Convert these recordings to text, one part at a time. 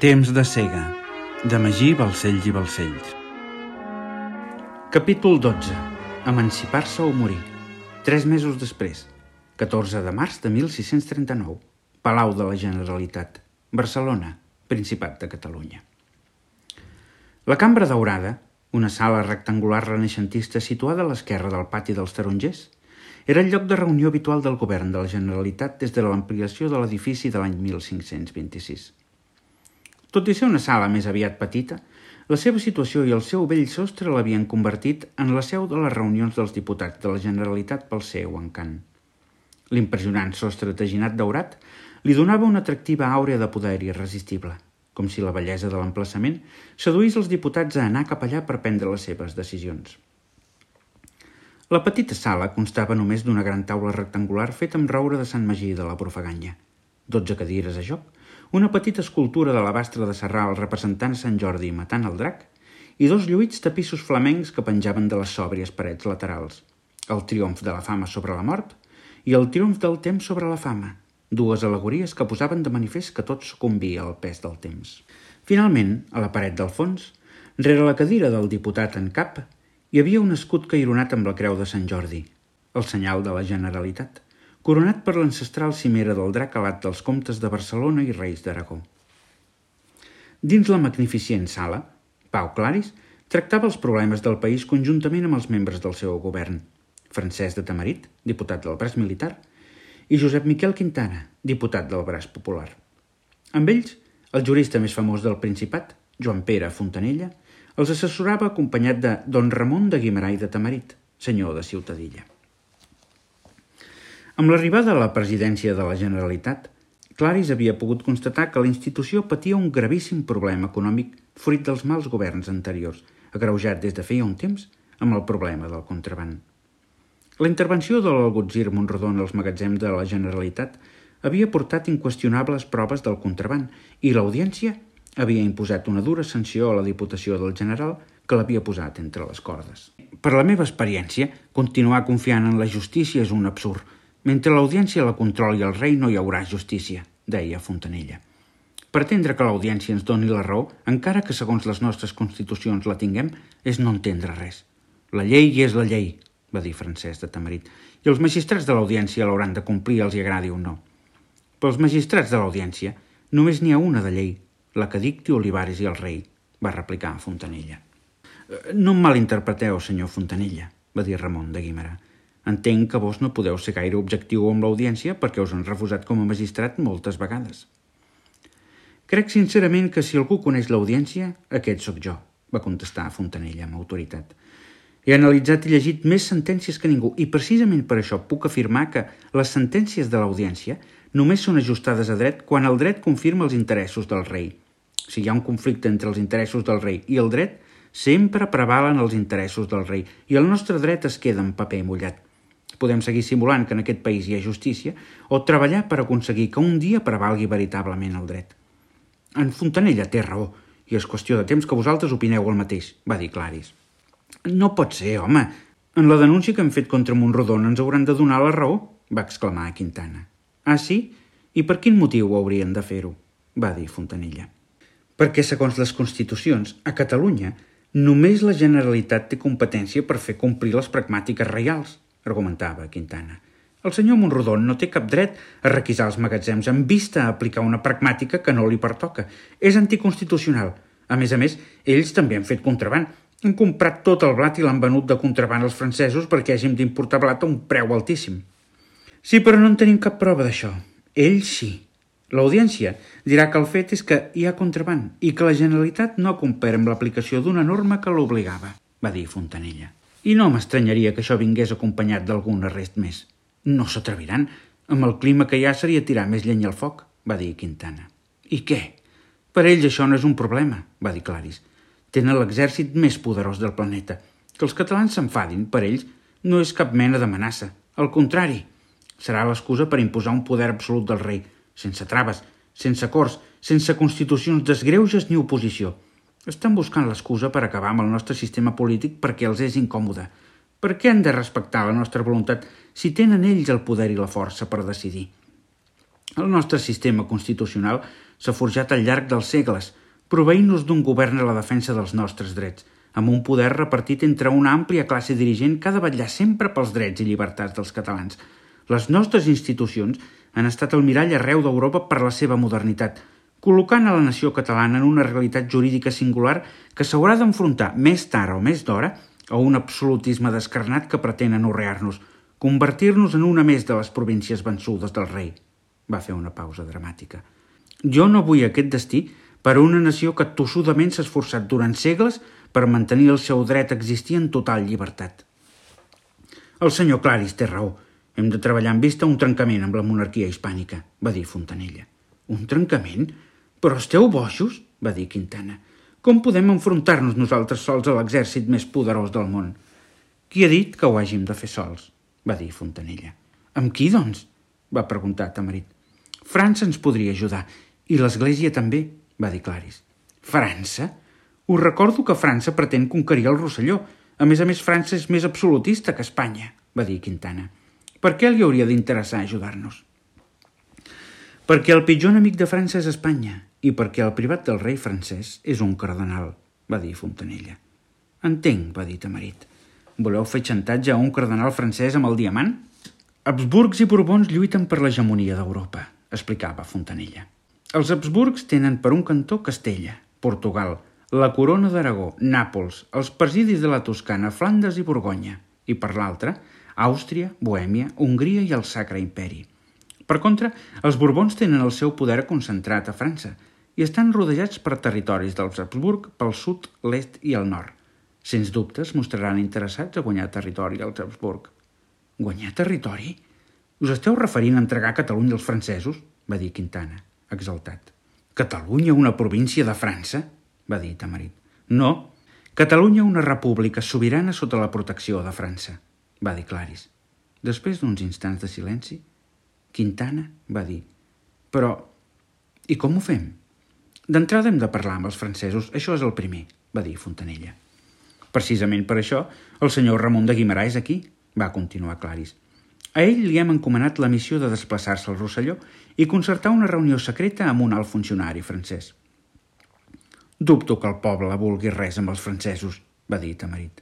Temps de cega, de Magí Balcells i Balcells. Capítol 12. Emancipar-se o morir. 3 mesos després, 14 de març de 1639, Palau de la Generalitat, Barcelona, Principat de Catalunya. La Cambra Daurada, una sala rectangular renaixentista situada a l'esquerra del pati dels Tarongers, era el lloc de reunió habitual del govern de la Generalitat des de l'ampliació de l'edifici de l'any 1526. Tot i ser una sala més aviat petita, la seva situació i el seu vell sostre l'havien convertit en la seu de les reunions dels diputats de la Generalitat pel seu encant. L'impressionant sostre teginat daurat li donava una atractiva àurea de poder irresistible, com si la bellesa de l'emplaçament seduís els diputats a anar cap allà per prendre les seves decisions. La petita sala constava només d'una gran taula rectangular feta amb roure de Sant Magí de la Profaganya, 12 cadires a joc, una petita escultura de l'abastre de Sarral representant Sant Jordi matant el drac i 2 lluïts tapissos flamencs que penjaven de les sòbries parets laterals, el triomf de la fama sobre la mort i el triomf del temps sobre la fama, 2 al·legories que posaven de manifest que tot sucumbia al pes del temps. Finalment, a la paret del fons, rere la cadira del diputat en cap, hi havia un escut caironat amb la creu de Sant Jordi, el senyal de la Generalitat, coronat per l'ancestral cimera del drac alat dels comtes de Barcelona i reis d'Aragó. Dins la magnificent sala, Pau Claris tractava els problemes del país conjuntament amb els membres del seu govern, Francesc de Tamarit, diputat del braç militar, i Josep Miquel Quintana, diputat del braç popular. Amb ells, el jurista més famós del Principat, Joan Pere Fontanella, els assessorava acompanyat de don Ramon de Guimerà i de Tamarit, senyor de Ciutadilla. Amb l'arribada a la presidència de la Generalitat, Claris havia pogut constatar que la institució patia un gravíssim problema econòmic fruit dels mals governs anteriors, agreujat des de feia un temps amb el problema del contraban. La intervenció de l'algutzir Montrodon als magatzems de la Generalitat havia portat inqüestionables proves del contraban i l'Audiència havia imposat una dura sanció a la Diputació del General que l'havia posat entre les cordes. Per la meva experiència, continuar confiant en la justícia és un absurd. Mentre l'Audiència la controli el rei no hi haurà justícia, deia Fontanella. Pretendre que l'Audiència ens doni la raó, encara que segons les nostres constitucions la tinguem, és no entendre res. La llei és la llei, va dir Francesc de Tamarit, i els magistrats de l'Audiència l'hauran de complir, els hi agradi o no. Pels magistrats de l'Audiència només n'hi ha una de llei, la que dicti Olivares i el rei, va replicar Fontanella. No em malinterpreteu, senyor Fontanella, va dir Ramon de Guimerà. Entenc que vos no podeu ser gaire objectiu amb l'Audiència perquè us han refusat com a magistrat moltes vegades. Crec sincerament que si algú coneix l'Audiència, aquest sóc jo, va contestar Fontanella amb autoritat. He analitzat i llegit més sentències que ningú i precisament per això puc afirmar que les sentències de l'Audiència només són ajustades a dret quan el dret confirma els interessos del rei. Si hi ha un conflicte entre els interessos del rei i el dret, sempre prevalen els interessos del rei i el nostre dret es queda en paper mullat. Podem seguir simulant que en aquest país hi ha justícia o treballar per aconseguir que un dia prevalgui veritablement el dret. En Fontanella té raó i és qüestió de temps que vosaltres opineu el mateix, va dir Claris. No pot ser, home. En la denúncia que hem fet contra Montrodon ens hauran de donar la raó, va exclamar Quintana. Ah, sí? I per quin motiu haurien de fer-ho? Va dir Fontanella. Perquè, segons les constitucions, a Catalunya només la Generalitat té competència per fer complir les pragmàtiques reials, argumentava Quintana. El senyor Montrodon no té cap dret a requisar els magatzems en vista a aplicar una pragmàtica que no li pertoca. És anticonstitucional. A més, ells també han fet contraban. Han comprat tot el blat i l'han venut de contraban als francesos perquè hàgim d'importar blat a un preu altíssim. Sí, però no en tenim cap prova d'això. Ells sí. L'Audiència dirà que el fet és que hi ha contraban i que la Generalitat no ha complert amb l'aplicació d'una norma que l'obligava, va dir Fontanella. I no m'estranyaria que això vingués acompanyat d'algun arrest més. No s'atreviran. Amb el clima que hi ha seria tirar més llenya al foc, va dir Quintana. I què? Per ells això no és un problema, va dir Claris. Tenen l'exèrcit més poderós del planeta. Que els catalans s'enfadin, per ells, no és cap mena d'amenaça. Al contrari, serà l'excusa per imposar un poder absolut del rei, sense traves, sense acords, sense constitucions desgreuges ni oposició. Estan buscant l'excusa per acabar amb el nostre sistema polític perquè els és incòmode. Per què han de respectar la nostra voluntat si tenen ells el poder i la força per decidir? El nostre sistema constitucional s'ha forjat al llarg dels segles, proveint-nos d'un govern a la defensa dels nostres drets, amb un poder repartit entre una àmplia classe dirigent que ha de vetllar sempre pels drets i llibertats dels catalans. Les nostres institucions han estat el mirall arreu d'Europa per la seva modernitat, col·locant a la nació catalana en una realitat jurídica singular que s'haurà d'enfrontar més tard o més d'hora a un absolutisme descarnat que pretén anorrear-nos, convertir-nos en una més de les províncies vençudes del rei. Va fer una pausa dramàtica. Jo no vull aquest destí per a una nació que tossudament s'ha esforçat durant segles per mantenir el seu dret a existir en total llibertat. El senyor Claris té raó. Hem de treballar en vista un trencament amb la monarquia hispànica, va dir Fontanella. Un trencament? Però esteu bojos? Va dir Quintana. Com podem enfrontar-nos nosaltres sols a l'exèrcit més poderós del món? Qui ha dit que ho hàgim de fer sols? Va dir Fontanella. Amb qui, doncs? Va preguntar Tamarit. França ens podria ajudar, i l'Església també, va dir Claris. França? Us recordo que França pretén conquerir el Rosselló. A més, França és més absolutista que Espanya, va dir Quintana. Per què li hauria d'interessar ajudar-nos? Perquè el pitjor enemic de França és Espanya i perquè el privat del rei francès és un cardenal, va dir Fontanella. Entenc, va dir Tamarit. Voleu fer xantatge a un cardenal francès amb el diamant? Habsburgs i Borbons lluiten per l'hegemonia d'Europa, explicava Fontanella. Els Habsburgs tenen per un cantó Castella, Portugal, la corona d'Aragó, Nàpols, els presidis de la Toscana, Flandes i Borgonya, i per l'altre, Àustria, Bohèmia, Hongria i el Sacre Imperi. Per contra, els Borbons tenen el seu poder concentrat a França i estan rodejats per territoris dels Habsburg pel sud, l'est i el nord. Sens dubte es mostraran interessats a guanyar territori als Habsburg. Guanyar territori? Us esteu referint a entregar Catalunya als francesos? Va dir Quintana, exaltat. Catalunya, una província de França? Va dir Tamarit. No, Catalunya, una república sobirana sota la protecció de França, va dir Claris. Després d'uns instants de silenci, Quintana va dir, però, i com ho fem? D'entrada hem de parlar amb els francesos, això és el primer, va dir Fontanella. Precisament per això, el senyor Ramon de Guimerà és aquí, va continuar Claris. A ell li hem encomanat la missió de desplaçar-se al Rosselló i concertar una reunió secreta amb un alt funcionari francès. Dubto que el poble vulgui res amb els francesos, va dir Tamarit.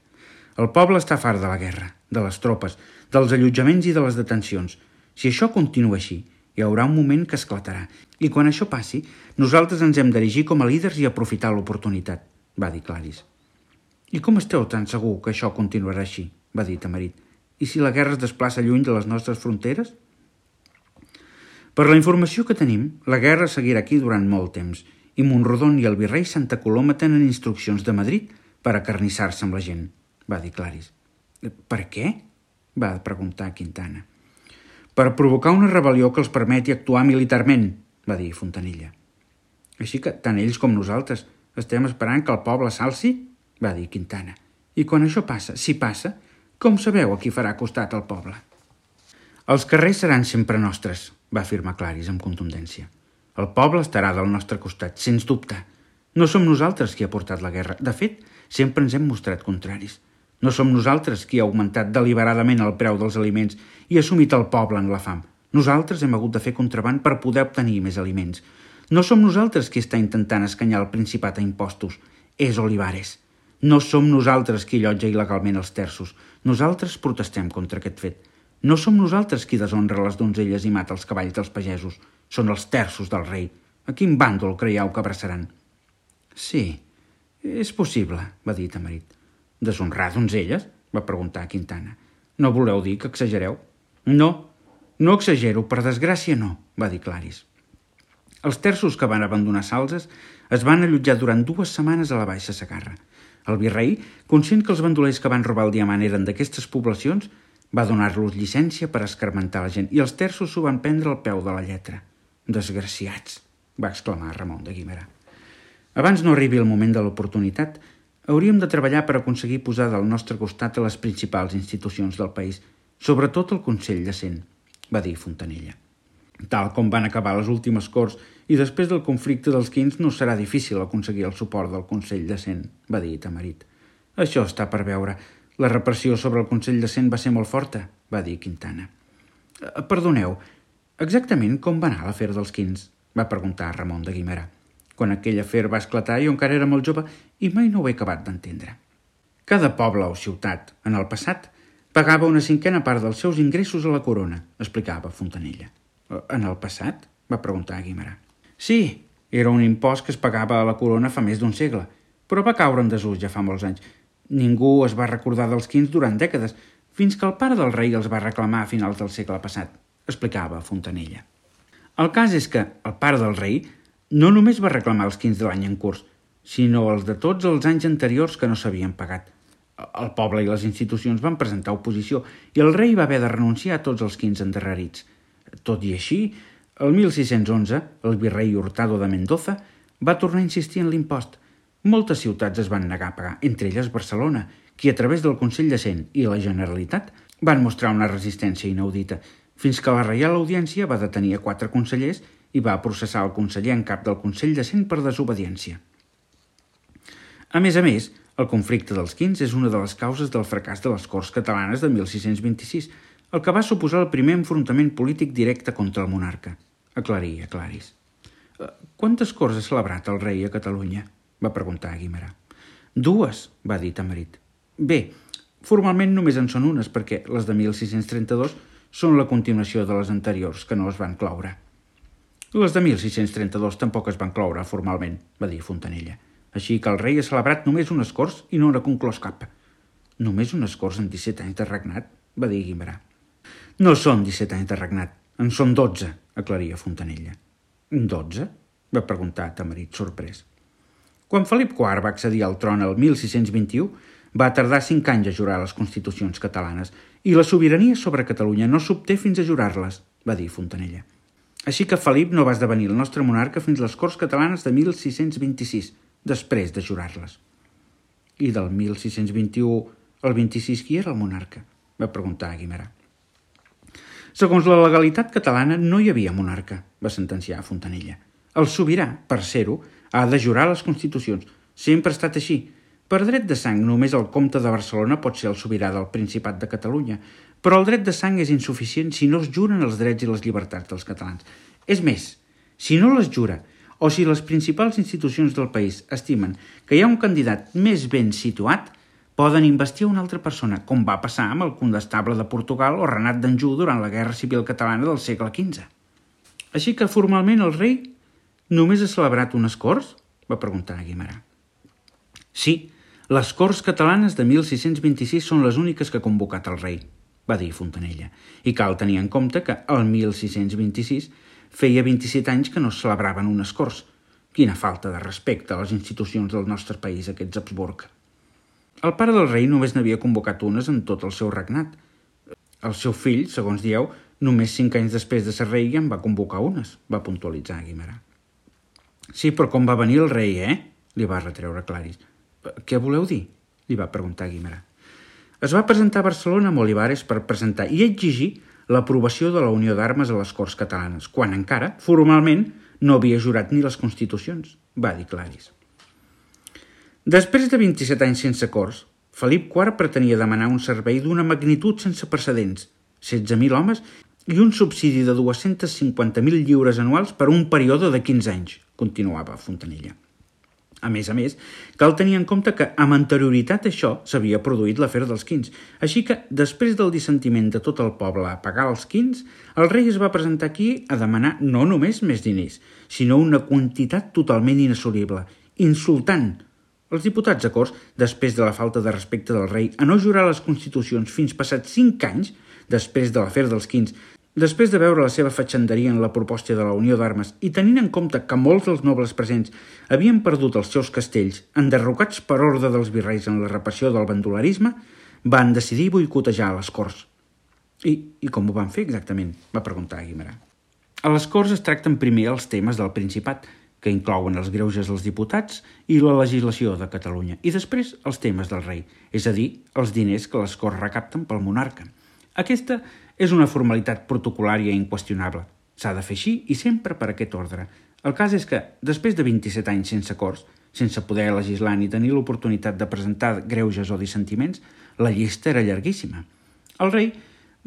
El poble està fart de la guerra, de les tropes, dels allotjaments i de les detencions. Si això continua així, hi haurà un moment que esclatarà, i quan això passi, nosaltres ens hem d'erigir com a líders i aprofitar l'oportunitat, va dir Claris. I com esteu tan segur que això continuarà així? Va dir Tamarit. I si la guerra es desplaça lluny de les nostres fronteres? Per la informació que tenim, la guerra seguirà aquí durant molt temps, i Montrodon i el virrei Santa Coloma tenen instruccions de Madrid per acarnissar-se amb la gent, va dir Claris. Per què? Va preguntar Quintana. Per provocar una rebel·lió que els permeti actuar militarment, va dir Fontanella. Així que tant ells com nosaltres estem esperant que el poble s'alci, va dir Quintana. I quan això passa, si passa, com sabeu a qui farà costat al poble? Els carrers seran sempre nostres, va afirmar Claris amb contundència. El poble estarà del nostre costat, sens dubte. No som nosaltres qui ha portat la guerra. De fet, sempre ens hem mostrat contraris. No som nosaltres qui ha augmentat deliberadament el preu dels aliments i ha sumit el poble en la fam. Nosaltres hem hagut de fer contraband per poder obtenir més aliments. No som nosaltres qui està intentant escanyar el Principat a impostos. És Olivares. No som nosaltres qui allotja il·legalment els terços. Nosaltres protestem contra aquest fet. No som nosaltres qui deshonra les donzelles i mata els cavalls dels pagesos. Són els terços del rei. A quin bàndol creieu que abraçaran? Sí, és possible, va dir Tamarit. Deshonrar donzelles? Va preguntar Quintana. No voleu dir que exagereu? No exagero, per desgràcia no, va dir Claris. Els terços que van abandonar Salses es van allotjar durant 2 setmanes a la Baixa Segarra. El virrei, conscient que els bandolers que van robar el diamant eren d'aquestes poblacions, va donar-los llicència per escarmentar la gent i els terços s'ho van prendre al peu de la lletra. Desgraciats, va exclamar Ramon de Guimerà. Abans no arribi el moment de l'oportunitat, hauríem de treballar per aconseguir posar del nostre costat a les principals institucions del país, sobretot el Consell de Cent, va dir Fontanella. Tal com van acabar les últimes corts i després del conflicte dels quins no serà difícil aconseguir el suport del Consell de Cent, va dir Tamarit. Això està per veure. La repressió sobre el Consell de Cent va ser molt forta, va dir Quintana. Perdoneu, exactament com va anar l'afer dels quins? va preguntar Ramon de Guimerà. Quan aquell afer va esclatar jo encara era molt jove i mai no ho he acabat d'entendre. Cada poble o ciutat, en el passat, pagava una cinquena part dels seus ingressos a la corona, explicava Fontanella. En el passat? Va preguntar Guimerà. Sí, era un impost que es pagava a la corona fa més d'un segle, però va caure en desús ja fa molts anys. Ningú es va recordar dels quins durant dècades, fins que el pare del rei els va reclamar a finals del segle passat, explicava Fontanella. El cas és que el pare del rei no només va reclamar els quins de l'any en curs, sinó els de tots els anys anteriors que no s'havien pagat. El poble i les institucions van presentar oposició i el rei va haver de renunciar a tots els quins endarrerits. Tot i així, el 1611, el virrei Hurtado de Mendoza va tornar a insistir en l'impost. Moltes ciutats es van negar a pagar, entre elles Barcelona, qui a través del Consell de Cent i la Generalitat van mostrar una resistència inaudita, fins que la Reial Audiència va detenir a 4 consellers i va processar el conseller en cap del Consell de Cent per desobediència. A més, el conflicte dels quins és una de les causes del fracàs de les Corts Catalanes de 1626, el que va suposar el primer enfrontament polític directe contra el monarca. Aclaris. Quantes corts ha celebrat el rei a Catalunya? Va preguntar Guimerà. 2, va dir Tamarit. Bé, formalment només en són unes, perquè les de 1632 són la continuació de les anteriors, que no es van cloure. Les de 1632 tampoc es van cloure formalment, va dir Fontanella. Així que el rei ha celebrat només unes corts i no n'ha conclòs cap. Només unes corts en 17 anys de regnat, va dir Guimerà. No són 17 anys de regnat, en són 12, aclaria Fontanella. 12? Va preguntar Tamarit, sorprès. Quan Felip IV va accedir al tron el 1621, va tardar 5 anys a jurar les constitucions catalanes i la sobirania sobre Catalunya no s'obté fins a jurar-les, va dir Fontanella. Així que Felip no va esdevenir el nostre monarca fins les Corts Catalanes de 1626, després de jurar-les. I del 1621 al 26 qui era el monarca? Va preguntar Guimerà. Segons la legalitat catalana no hi havia monarca, va sentenciar Fontanella. El sobirà, per ser-ho, ha de jurar les constitucions. Sempre ha estat així. Per dret de sang, només el comte de Barcelona pot ser el sobirà del Principat de Catalunya, però el dret de sang és insuficient si no es juren els drets i les llibertats dels catalans. És més, si no les jura, o si les principals institucions del país estimen que hi ha un candidat més ben situat, poden investir una altra persona, com va passar amb el condestable de Portugal o Renat d'Anjou durant la Guerra Civil Catalana del segle XV. Així que formalment el rei només ha celebrat unes corts? Va preguntar Guimerà. Sí, les Corts Catalanes de 1626 són les úniques que ha convocat el rei, va dir Fontanella, i cal tenir en compte que el 1626 feia 27 anys que no es celebraven unes Corts. Quina falta de respecte a les institucions del nostre país, aquests Habsburg. El pare del rei només n'havia convocat unes en tot el seu regnat. El seu fill, segons dieu, només 5 anys després de ser rei ja en va convocar unes, va puntualitzar Guimerà. Sí, però com va venir el rei, li va retreure Claris. Què voleu dir? Li va preguntar Guimerà. Es va presentar a Barcelona amb Olivares per presentar i exigir l'aprovació de la unió d'armes a les Corts Catalanes, quan encara, formalment, no havia jurat ni les constitucions, va dir Claris. Després de 27 anys sense corts, Felip IV pretenia demanar un servei d'una magnitud sense precedents, 16.000 homes i un subsidi de 250.000 lliures anuals per un període de 15 anys, continuava Fontanella. A més, cal tenir en compte que amb anterioritat a això s'havia produït l'afer dels quins, així que, després del dissentiment de tot el poble a pagar els quins, el rei es va presentar aquí a demanar no només més diners, sinó una quantitat totalment inassolible, insultant els diputats a Corts, després de la falta de respecte del rei a no jurar les constitucions fins passats 5 anys, després de l'afer dels quins, després de veure la seva fatxenderia en la proposta de la unió d'armes i tenint en compte que molts dels nobles presents havien perdut els seus castells, enderrocats per ordre dels virreis en la repressió del bandolerisme, van decidir boicotejar les Corts. I com ho van fer exactament? Va preguntar Guimerà. A les Corts es tracten primer els temes del Principat, que inclouen els greuges dels diputats i la legislació de Catalunya, i després els temes del rei, és a dir, els diners que les Corts recapten pel monarca. Aquesta és una formalitat protocolària inqüestionable. S'ha de fer així i sempre per aquest ordre. El cas és que, després de 27 anys sense Corts, sense poder legislar ni tenir l'oportunitat de presentar greuges o dissentiments, la llista era llarguíssima. El rei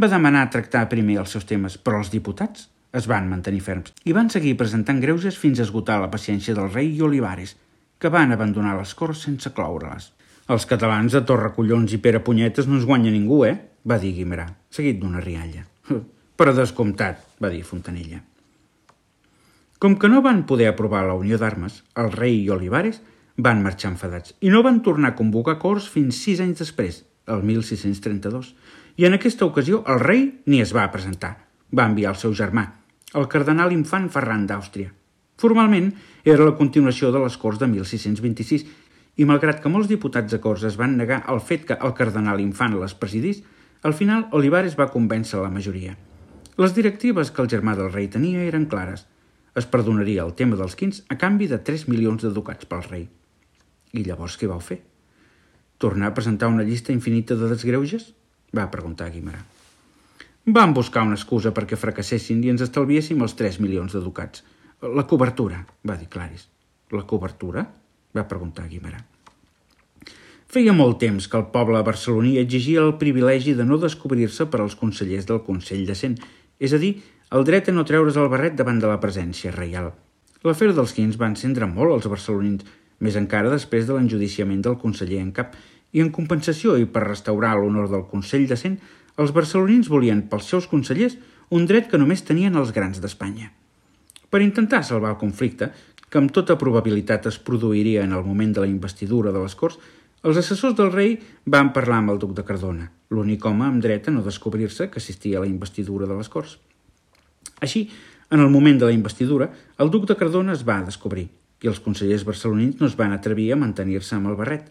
va demanar tractar primer els seus temes, però els diputats es van mantenir ferms i van seguir presentant greuges fins a esgotar la paciència del rei i Olivares, que van abandonar les Corts sense cloure-les. «Els catalans de Torracollons i Pere Punyetes no ens guanya ningú, va dir Guimerà, seguit d'una rialla. «Per descomptat», va dir Fontanella. Com que no van poder aprovar la unió d'armes, el rei i Olivares van marxar enfadats i no van tornar a convocar Corts fins 6 anys després, el 1632, i en aquesta ocasió el rei ni es va presentar. Va enviar el seu germà, el cardenal infant Ferran d'Àustria. Formalment era la continuació de les Corts de 1626 i malgrat que molts diputats de Corts es van negar al fet que el cardenal infant les presidís, al final Olivares va convèncer la majoria. Les directives que el germà del rei tenia eren clares. Es perdonaria el tema dels quins a canvi de 3 milions de ducats pel rei. I llavors què vau fer? Tornar a presentar una llista infinita de desgreuges? Va preguntar Guimerà. Vam buscar una excusa perquè fracassessin i ens estalviéssim els 3 milions de ducats. La cobertura, va dir Claris. La cobertura? Va preguntar Guimerà. Feia molt temps que el poble barceloní exigia el privilegi de no descobrir-se per als consellers del Consell de Cent, és a dir, el dret a no treure's el barret davant de la presència reial. L'afer dels quins va encendre molt els barcelonins, més encara després de l'enjudiciament del conseller en cap, i en compensació i per restaurar l'honor del Consell de Cent, els barcelonins volien pels seus consellers un dret que només tenien els grans d'Espanya. Per intentar salvar el conflicte, que amb tota probabilitat es produiria en el moment de la investidura de les Corts, els assessors del rei van parlar amb el duc de Cardona, l'únic home amb dret a no descobrir-se que assistia a la investidura de les Corts. Així, en el moment de la investidura, el duc de Cardona es va descobrir i els consellers barcelonins no es van atrevir a mantenir-se amb el barret.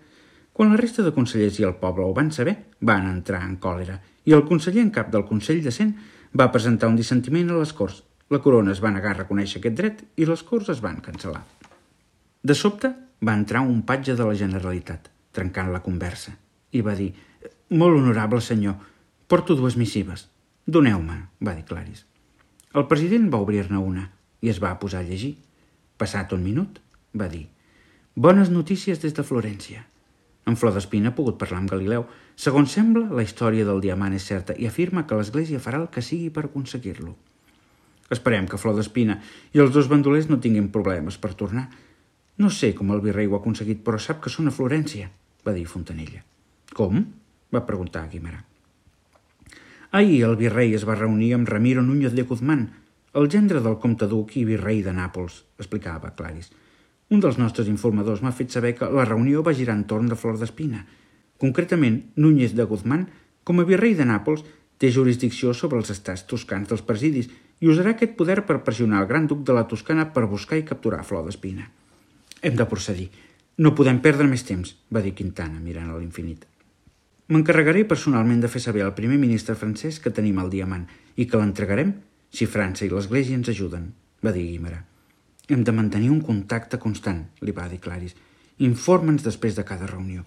Quan la resta de consellers i el poble ho van saber, van entrar en còlera i el conseller en cap del Consell de Cent va presentar un dissentiment a les Corts. La corona es va negar a reconèixer aquest dret i les Corts es van cancel·lar. De sobte va entrar un patge de la Generalitat, trencant la conversa, i va dir «Molt honorable senyor, porto 2 missives. Doneu-me», va dir Claris. El president va obrir-ne una i es va posar a llegir. Passat un minut, va dir «Bones notícies des de Florència. En Flor d'Espina ha pogut parlar amb Galileu. Segons sembla, la història del diamant és certa i afirma que l'Església farà el que sigui per aconseguir-lo. Esperem que Flor d'Espina i els 2 bandolers no tinguin problemes per tornar. No sé com el virrei ho ha aconseguit, però sap que són a Florència», va dir Fontanella. «Com?», va preguntar Guimerà. Ahir el virrei es va reunir amb Ramiro Núñez de Guzmán, el gendre del comte duc i virrei de Nàpols, explicava Claris. Un dels nostres informadors m'ha fet saber que la reunió va girar entorn de Flor d'Espina. Concretament, Núñez de Guzmán, com a virrei de Nàpols, té jurisdicció sobre els estats toscans dels presidis i usarà aquest poder per pressionar el gran duc de la Toscana per buscar i capturar Flor d'Espina. «Hem de procedir. No podem perdre més temps», va dir Quintana, mirant a l'infinit. «M'encarregaré personalment de fer saber al primer ministre francès que tenim el diamant i que l'entregarem si França i l'Església ens ajuden», va dir Guimerà. «Hem de mantenir un contacte constant», li va dir Claris. «Informa'ns després de cada reunió».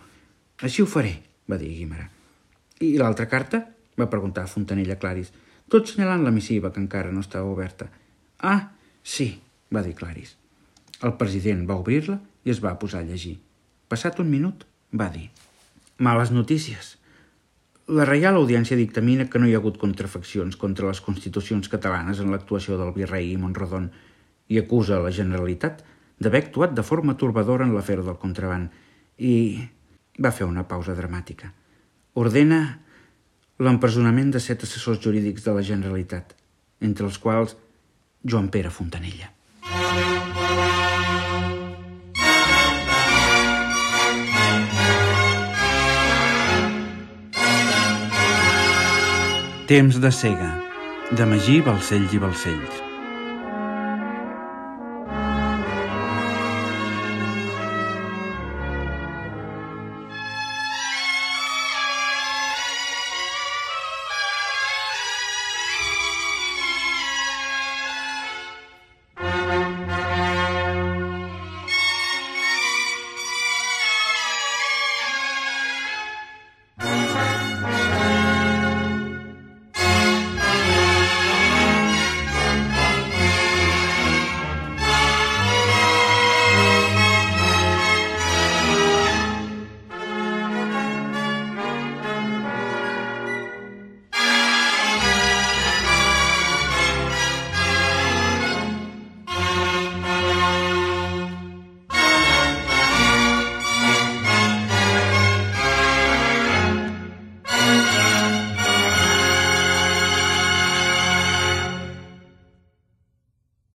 «Així ho faré», va dir Guimerà. «I l'altra carta?», va preguntar Fontanella Claris, tot senyalant la missiva que encara no estava oberta. «Ah, sí», va dir Claris. El president va obrir-la i es va posar a llegir. Passat un minut, va dir «Males notícies. La Reial Audiència dictamina que no hi ha hagut contrafaccions contra les constitucions catalanes en l'actuació del virrei i Monrodon i acusa la Generalitat d'haver actuat de forma torbadora en l'afer del contraban i va fer una pausa dramàtica. Ordena l'empresonament de 7 assessors jurídics de la Generalitat, entre els quals Joan Pere Fontanella». Temps de cega, de Magí Balcells i Balcells.